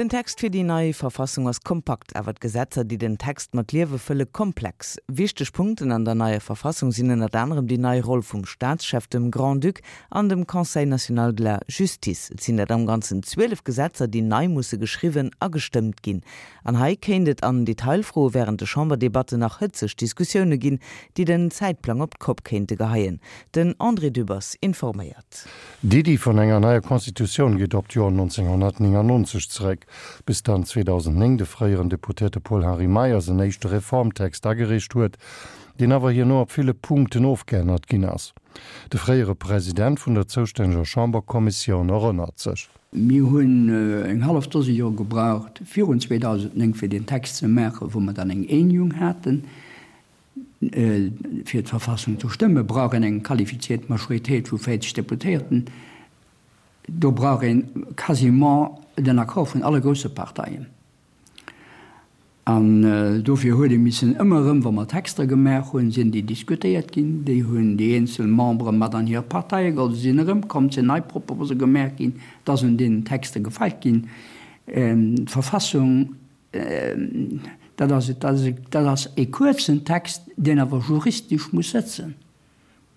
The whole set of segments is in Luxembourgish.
Den Text fir déi nei Verfassung ass kompakt, awer d'Gesetzer, déi den Text mat Liewe fëlle, komplex. Wichteg Punkten an der neier Verfassung sinn ënnert anerem déi nei Roll vum Staatschef, dem Grand-Duc, an dem Conseil national de la justice. Et sinn dat am Ganzen 12 Gesetzer, déi nei musse geschriwwen a gestëmmt ginn. An hei kéint et an Detailfroe wärend de Chamberdebatten nach hëtzeg Diskussioune ginn, déi den Zäitplang op d'Kopp kéinte geheien. Den André Dübbers informéiert. D'Iddi vun enger neier Constitutioun geet op d'Joer 1999 zeréck, bis dann 2009 de fréieren Deputéierte Paul-Henri Meyers en éischte Reformtext agereecht huet, deen awer hierno op ville Punkten ofgeännert ginn ass. De fréiere President vun der zoustänneger Chamberkommissioun erënnert sech. Mir hunn eng hallef Dose Joer gebraucht virun 2009, fir deen Text ze maachen, wou mer dann eng Eenjung haten. Fir d'Verfassung ze stëmme brauch een eng qualifiziert Majoritéit vu 40 Deputéierten. Do brauch een quasiment den Accord vun alle grousse Parteien. An dofir huet ee missen ëmmer erëm, wa mer Texter gemaach hunn, sinn déi diskutéiert ginn, déi hunn déi eenzel Membere mat an hir Parteie geholl, se sinn erëmkomm, et sinn nei Propose gemaach ginn, et ass un deenen Texter gefeilt ginn. D'Verfassung Dat ass, dat ass e kuerzen Text, deen awer juristesch muss sëtzen.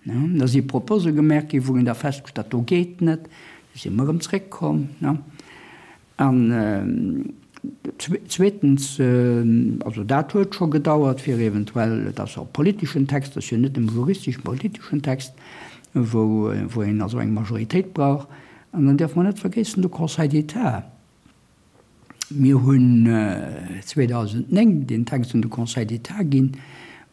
Da si Propose gemaach ginn, wou een da festgestallt, dat do geet net. Da si mer erëm zréckkomm. An zweetens, also dat huet scho gedauert, fir eventuell, et ass och e politeschen Text, et ass jo net nëmme juristesch, e politeschen Text, wou een also eng Majoritéit brauch. An dann dierfe mer net vergéissen, de Conseil d'État. Mir hunn 2009 deen Text un de Conseil d'État ginn.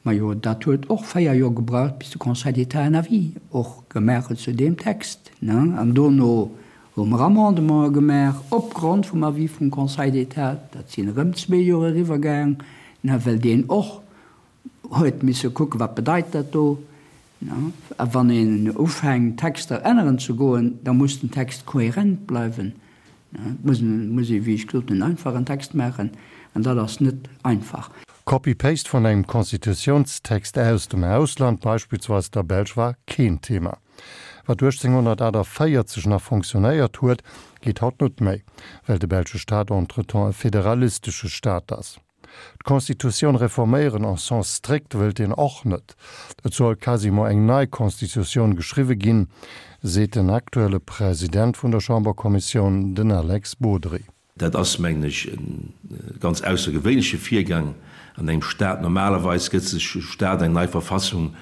Majo, dat huet och 4 Joer gebraucht, bis de Conseil d'État en Avis och gemaach huet zu deem Text. An dono hu mer Amendementen gemaach opgrond vum Avis vum Conseil d'État. Dat sinn erëm zwee Joer eriwwergaang, well deen och huet misse kucken, wat bedeit dat do. A wann een ufänkt, Texter änneren ze goen, da muss den Text kohärent bleiwen. Et muss ee, wéi ech gesot hunn, en einfachen Text maachen, an dat ass net einfach. Copy-Paste vun engem Constitutiounstext aus dem Ausland, beispillsweis der Belsch, war keen Thema. Wat 1848 nach fonctionnéiert huet, geet haut net méi, well de belsche Staat entretemps e federalistesche Staat ass. D'Constitutioun reforméieren en sens strict wëllt een och net. Et soll quasiment eng nei Constitutioun geschriwwe ginn, seet den aktuelle President vun der Chamberkommissioun, den Alex Bodry. Dat ass, mengen ech, e ganz aussergewéinleche Virgang an engem Staat. Normalerweis gëtt sech e Staat eng nei Verfassung,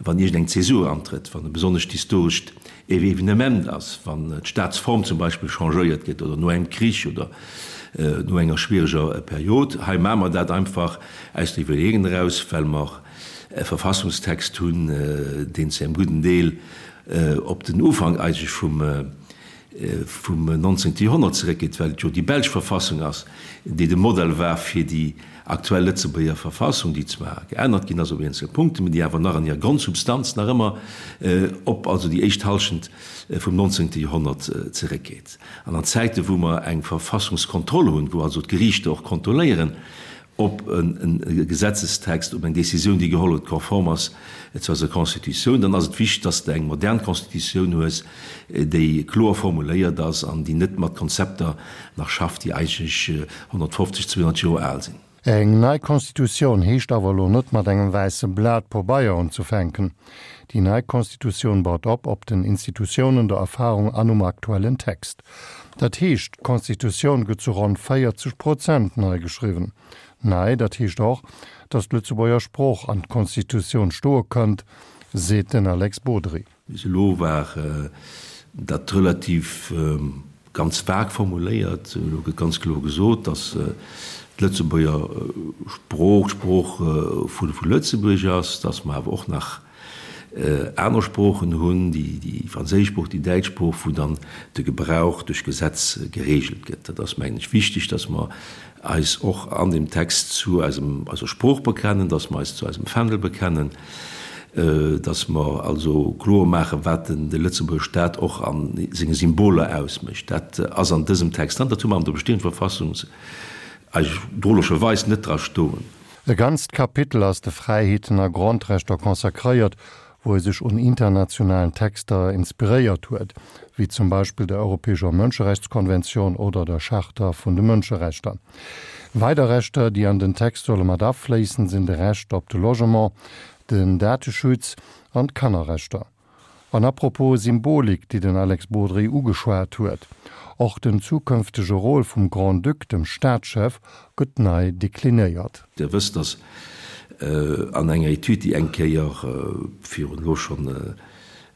wann iergendeng Zäsur antrëtt, wann e besonnescht historescht Evenement ass, wann d'Staatsform zum Beispill changéiert gëtt oder no engem Krich oder no enger schwiereger Period. Hei maache mer dat einfach aus der Iwwerleeung eraus, well mer e Verfassungstext hunn, deen zu engem gudden Deel op den Ufank eigentlech vum vum 19. Joerhonnert zeréckgeet, well et jo déi belsch Verfassung ass, déi de Modell war fir déi aktuell Lëtzebuerger Verfassung, déi zwar geännert ginn ass op eenzel Punkten, mä déi awer nach an hirer Grondsubstanz nach ëmmer op also déi éischt Halschent vum 19. Joerhonnert zeréckgeet. An an Zäite wou mer eng Verfassungskontroll hunn, wou also d'Geriichter och kontrolléieren, ob e Gesetzestext, ob eng Décisioun, déi geholl huet, konform ass zu eiser Constitutioun, dann ass et wichteg, dass de eng modern Constitutioun hues, déi kloer formuléiert ass an déi net mat Konzepter nach schafft, déi eigentlech 150, 200 Joer al sinn. Eng nei Constitutioun heescht awer elo net mat engem wäisse Blat Pobeier unzufänken. Déi nei Constitutioun baut op op den Institutiounen, der Erfahrung an um aktuellen Text. Dat heescht, d'Constitutioun gëtt zu ronn 40 Prozent nei geschriwwen. Nei, dat heescht och, datt d'Lëtzebuerger Sprooch an d'Constitutioun stoe kënnt, seet den Alex Bodry. Bis elo war dat relativ ganz vag formuléiert. Elo gëtt ganz kloer gesot, datt d'Lëtzebuerger Sprooch d'Sprooch vu Lëtzebuerg ass, datt mer awer och nach aner Sproochen hunn, déi franséisch Sprooch, déi däitsch Sprooch, wou dann de Gebrauch duerch Gesetz geregelt gëtt. Dat ass, mengen ech, wichteg, dass mer eis och an deem Text zu eisem, eiser Sprooch bekennen, dass mer eis zu eisem Fändel bekennen, dass mer also kloer maachen, wat den, de Lëtzebuerger Staat och a senge Symboler ausmécht. Dat ass an dësem Text dran. Dat hu mer an der bestehender Verfassung eigentlech drolescherweis net dra stoen. E ganzt Kapitel ass de Fräiheeten a Grondrechter consacréiert, wou e sech un internationalen Texter inspiréiert huet, wéi zum Beispill der Europäescher Mënscherechtskonventioun oder der Charta vun de Mënscherechter. Weider Rechter, déi an den Text solle mat afléissen, sinn de Recht op de Logement, den Dateschutz an d'Kannerrechter. An apropos Symbolik, déi den Alex Bodry ugeschwat huet, Och den zukënftege Rôle vum Grand-Duc, dem Staatschef, gëtt nei deklinéiert. Dir wësst, dass an enger Etüd, déi eng Kéier virun elo schonn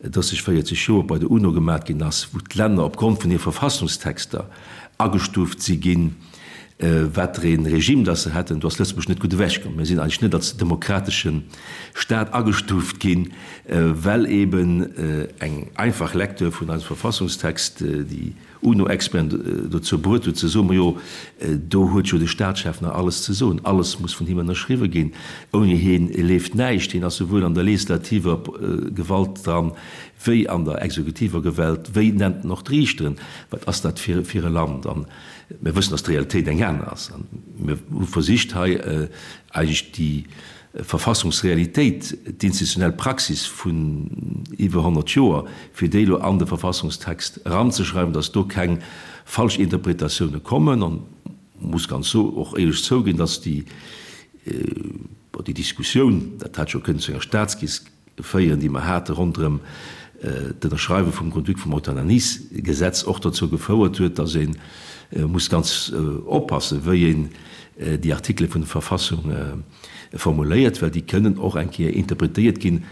30, 40 Joer bei der UNO gemat ginn ass, wou d'Länner opgrond vun hire Verfassungstexter agestuuft si ginn, wat fir ee Regime dass se hätten, do ass Lëtzebuerg net gutt ewechkomm. Mir sinn eigentlech net als demokratesche Staat agestuuft ginn, well eben eng einfach Lecture vun eisem Verfassungstext déi UNO-Experten dozou bruet huet ze soen, Majo, do huet jo de Staatschef nach alles ze soen, alles muss vun him ënnerschriwwe ginn, ouni hien leeft näischt. Hien ass souwuel an der legislativer Gewalt dran, wéi an der exekutiver Gewalt, wéi nennt en och d'Riichteren. Wat ass dat fir e Land? Mir wëssen, dass d'Realitéit eng aner ass. A mir hu versicht, hei eigentlech déi Verfassungsrealitéit, d'institutionell Praxis vun iwwer 100 Joer, fir déi elo an de Verfassungstext eranzeschreiwen, dass do keng falsch Interpretatioune kommen. An muss ganz och éierlech zouginn, dass déi, bon, déi Diskussioun, dat hätt scho kënnen zu enger Staatskris Féieren, déi mer hate ronderëm d'Ënnerschreiwe vum Grand-Duc vum Euthanasiesgesetz, och dozou gefouert huet, dass ee muss ganz oppassen, wéi een déi Artikele vun der Verfassung formuléiert, well déi kënnen och eng Kéier interpretéiert ginn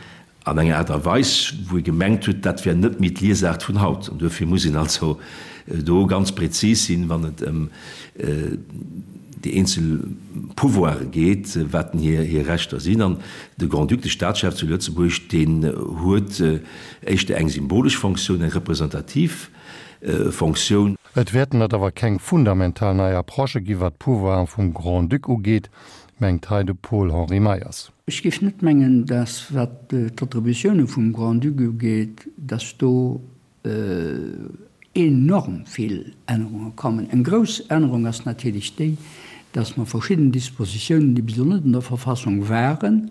an enger Aart a Weis, wou ee gemengt huet, dat wär net méi d'Liesaart vun haut. An duerfir muss een also do ganz prezis sinn, wann et ëm déi eenzel Pouvoire geet, wat denn hir Rechter sinn. An de Grand-Duc, de Staatschef zu Lëtzebuerg, deen huet éischter eng symbolesch Fonctioun, eng representativ Fonctioun. Et wäerten et awer keng fundamental nei Approchë gi wat d'Pouvoiren vum Grand-Duc ugeet, mengt hei de Paul-Henri Meyers. Ech géif net mengen, dass, wat d'Attributioune vum Grand-Duc ugeet, dass do enorm vill Ännerunge kommen. Eng grouss Ännerung ass natierlech déi, dass mer verschidden Dispositiounen, déi bis elo net an der Verfassung waren,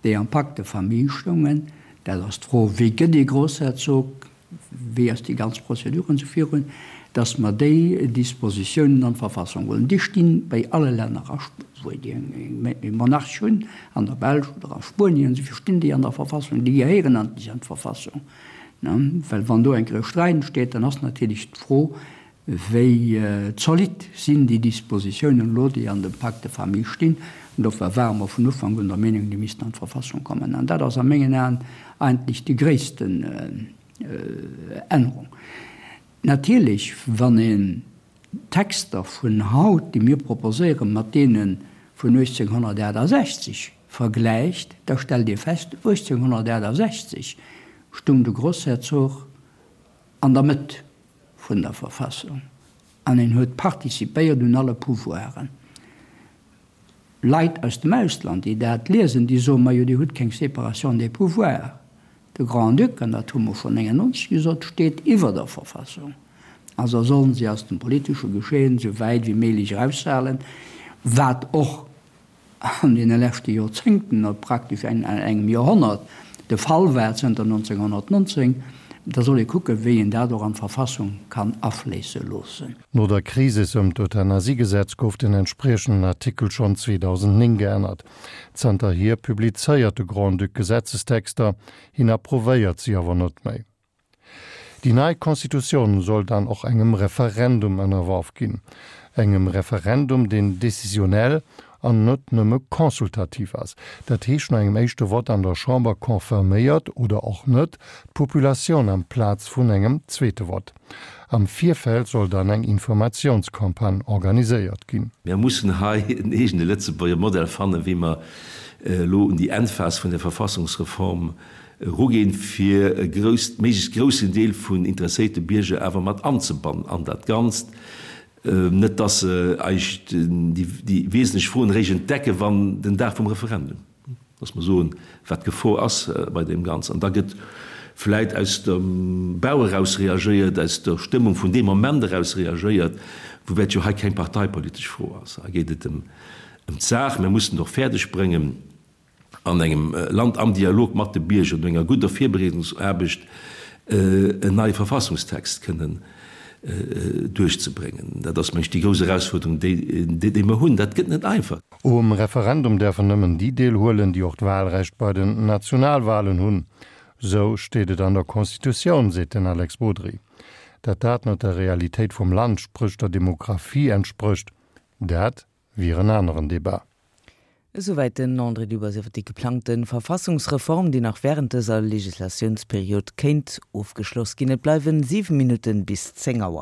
déi am Pacte de famille stoungen, dat ass d'Fro, wéi gëtt ee Grossherzog, wéi ass déi ganz Procédure an esou virun, dass mer déi Dispositiounen an d'Verfassung huelen. Déi sti bei alle Länner, a wou déi e Monarch hunn, an der Belsch oder a Spuenien, esou vill, stinn déi an der Verfassung, déi gehéieren an d'Verfassung. Well wann do eng Kéier e Sträit entsteet, dann ass natierlech d'Fro, wéi zolidd sinn déi Dispositiounen elo, déi an dem Pacte de famille stinn. An dofir ware mer vun Ufank un der Meenung, déi missten an d'Verfassung kommen. An dat ass a mengen Aen eigentlech déi gréissten Ännerung. Natierlech, wann een d'Texter vun haut, déi mir proposéieren, mat deene vun 1868 vergläicht, da stellt ee fest, 1868 stung de Grossherzog an der Mëtt vun der Verfassung an en huet participéiert un alle Pouvoiren. Leit aus dem Ausland, déi dat liesen, déi soen, Majo, Dir hutt keng Séparation des pouvoirs. De Grand-Duc, an dat hu mer schonn 99 gesot, steet iwwer der Verfassung. Also sollen si aus dem politesche Geschehen esou wäit wéi méiglech eraushalen, wat och an deene leschte Joerzéngten, praktesch engem Joerhonnert, de Fall war zënter 1919. Da soll ee kucken, wéi een dat och an d'Verfassung kann afléisse loossen. No der Krisis ëm d'Euthanasiegesetz gouf den entspriechenden Artikel schonn 2009 geännert. Zanterhier publizéiert de Grand-Duc Gesetzestexter, hien approuvéiert si awer net méi. Déi nei Constitutioun soll dann och engem Referendum ënnerworf ginn. Engem Referendum, deen décisionnel an net nëmme consultativ ass. Dat heescht, no engem éischte Vott an der Chamber confirméiert, oder och net, d'Populatioun amplaz vun engem zweete Vott. Am Virfeld soll dann eng Informatiounscampagne organiséiert ginn. Mir mussen hei en eegene Lëtzebuerger Modell fannen, wéi mer elo un déi Endphas vun der Verfassungsreform eruginn, fir e grousst, méiglechst groussen Deel vun interesséierte Bierger awer mat anzebannen an dat Ganzt. Net dass se eis déi wesentlech Froen eréischt entdecken, wann den Dag vum Referendum, dass mer soen, wat d'Gefor ass bei deem Ganzen. An da gëtt vläit aus dem Bauch eraus reagéiert, aus der Stëmmung vun deem Moment eraus reagéiert, woubäi et jo hei keng parteipolitesch Fro ass. Hei geet et ëm d'Saach. Mir mussen et och fäerdeg bréngen. an engem Land am Dialog mat de Bierger, no enger gudder Virbereedungsaarbecht en neie Verfassungstext kënnen duerchzebréngen. Dat ass, meng ech, déi grouss Erausfuerderung, déi mer hunn. Dat gëtt net einfach. Um Referendum däerfen nëmmen déi deelhuelen, déi och d'Wahlrecht bei den Nationalwahlen hunn. Sou steet et an der Constitutioun, seet den Alex Bodry. Dat dat net der Realitéit vum Land, spréch der Demographie entsprécht, dat wier en aneren Debat. Esouwäit den André Dübbers iwwer déi geplangte Verfassungsreform, déi nach wärend dëser Legislatiounsperiod kéint ofgeschloss ginn. Et bleiwen 7 Minutten bis 10 Auer.